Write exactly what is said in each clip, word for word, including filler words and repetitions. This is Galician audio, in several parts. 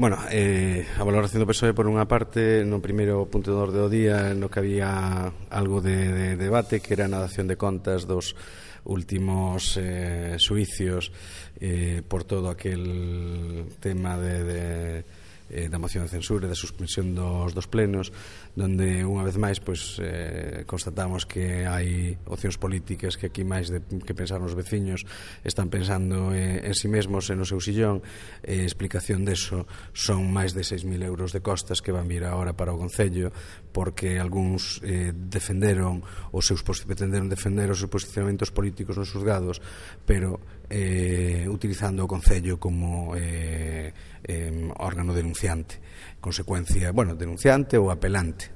Bueno, eh, a valoración do P S O E por unha parte, no primeiro punto do orde do día no que había algo de, de debate, que era a dación de contas dos últimos eh, suicios eh, por todo aquel tema de, de eh, da moción de censura e da suspensión dos, dos plenos, donde unha vez máis pois, eh, constatamos que hai opcións políticas que aquí máis de, que pensar nos veciños están pensando eh, en si mesmos e no seu sillón. Eh, explicación deso son máis de seis mil euros de costas que van vir agora para o Concello, porque algúns eh, defenderon os seus pretenderon defender os seus posicionamentos políticos nos xulgados, pero eh, utilizando o Concello como eh, eh, órgano denunciante, consecuencia, bueno, denunciante ou apelante,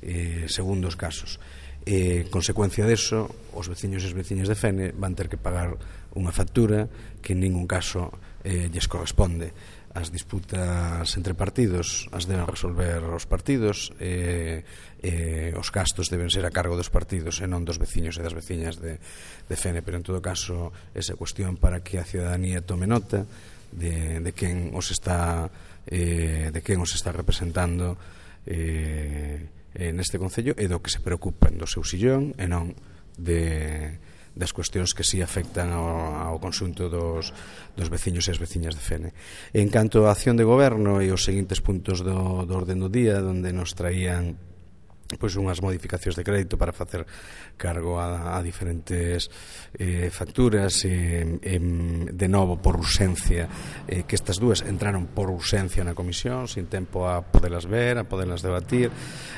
eh, segundo os casos. Eh, consecuencia deso, os veciños e as veciñas de Fene van ter que pagar unha factura que en ningún caso eh, lles corresponde. As disputas entre partidos as deben resolver os partidos, e eh, eh, os gastos deben ser a cargo dos partidos e non dos veciños e das veciñas de, de Fene, pero en todo caso esa cuestión para que a ciudadanía tome nota de, de quen os está eh, de quen os está representando eh, neste Concello e do que se preocupan do seu sillón e non de das cuestións que si afectan ao, ao conxunto dos, dos veciños e as veciñas de Fene. En canto á acción de goberno e os seguintes puntos do, do orden do día, donde nos traían pois unhas modificacións de crédito para facer cargo a, a diferentes eh, facturas e, eh, de novo por urxencia, eh, que estas dúas entraron por urxencia na comisión sin tempo a podelas ver, a podelas debatir,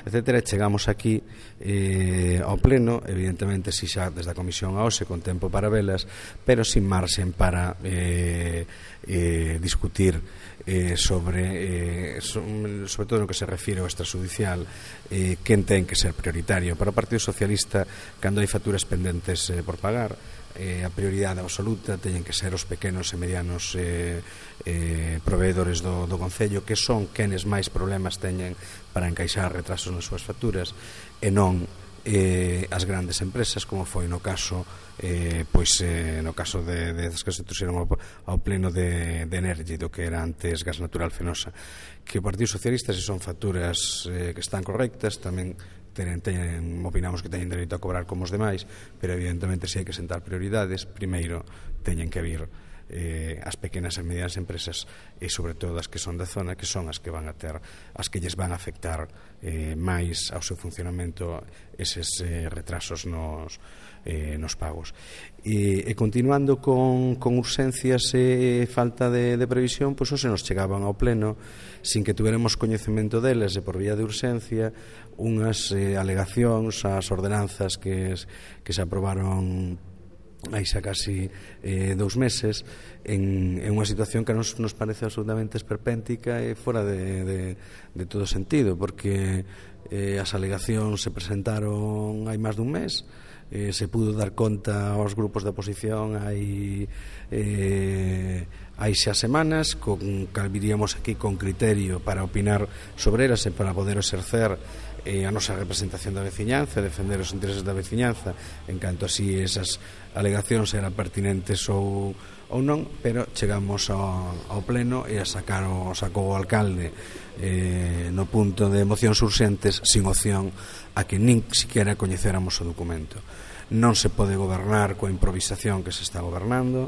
etcétera. E chegamos aquí eh, ao pleno, evidentemente si xa desde a comisión a hoxe con tempo para velas, pero sin marxen para eh, eh, discutir eh, sobre eh, sobre todo no que se refire ao extrajudicial, eh, que ten que ser prioritario. Para o Partido Socialista, cando hai facturas pendentes eh, por pagar, eh, a prioridade absoluta teñen que ser os pequenos e medianos eh, eh, proveedores do, do Concello, que son quenes máis problemas teñen para encaixar retrasos nas súas facturas, e non eh, as grandes empresas, como foi no caso eh, pois eh, no caso de, de das que se trouxeron ao, ao pleno de, de Energy, do que era antes Gas Natural Fenosa, que o Partido Socialista, se son facturas eh, que están correctas, tamén Tenen, tenen, opinamos que teñen dereito a cobrar como os demais, pero evidentemente se hai que sentar prioridades, primeiro teñen que vir eh, as pequenas e medianas empresas e sobre todo as que son da zona, que son as que van a ter, as que lles van a afectar eh, máis ao seu funcionamento eses eh, retrasos nos, eh, nos pagos. E, e continuando con, con urxencias e falta de, de previsión, pois hoxe nos chegaban ao pleno sin que tuveremos coñecemento deles e por vía de urxencia unhas eh, alegacións ás ordenanzas que, que se aprobaron hai xa casi eh, dous meses en, en unha situación que nos, nos parece absolutamente esperpéntica e fora de, de, de todo sentido, porque eh, as alegacións se presentaron hai máis dun mes, eh, se pudo dar conta aos grupos da oposición hai eh, hai xa semanas, con, calviríamos aquí con criterio para opinar sobre elas e para poder exercer eh, a nosa representación da veciñanza, defender os intereses da veciñanza, en canto así esas alegacións eran pertinentes ou, ou non, pero chegamos ao, ao pleno e a sacar o, sacou o alcalde eh, no punto de mocións urxentes sin opción a que nin siquiera coñecéramos o documento. Non se pode gobernar coa improvisación que se está gobernando.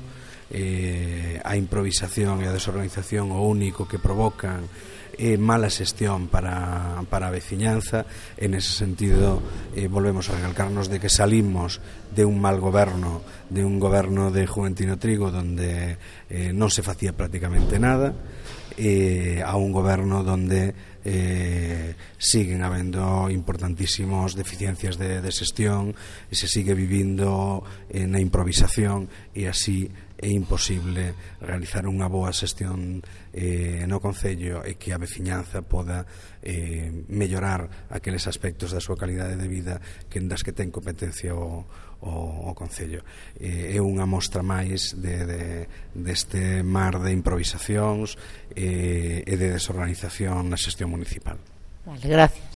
Eh, a improvisación e a desorganización o único que provocan é mala xestión para, para a veciñanza. En ese sentido eh, volvemos a recalcarnos de que salimos de un mal goberno, de un goberno de Juventino Trigo donde eh, non se facía prácticamente nada, eh, a un goberno donde eh, siguen habendo importantísimos deficiencias de, de xestión e se sigue vivindo eh, na improvisación, e así é imposible realizar unha boa xestión eh, no Concello e que a veciñanza poda eh, mellorar aqueles aspectos da súa calidade de vida que das que ten competencia o, o, o Concello. Eh, é unha mostra máis de, de, deste mar de improvisacións eh, e de desorganización na xestión municipal. Vale, gracias.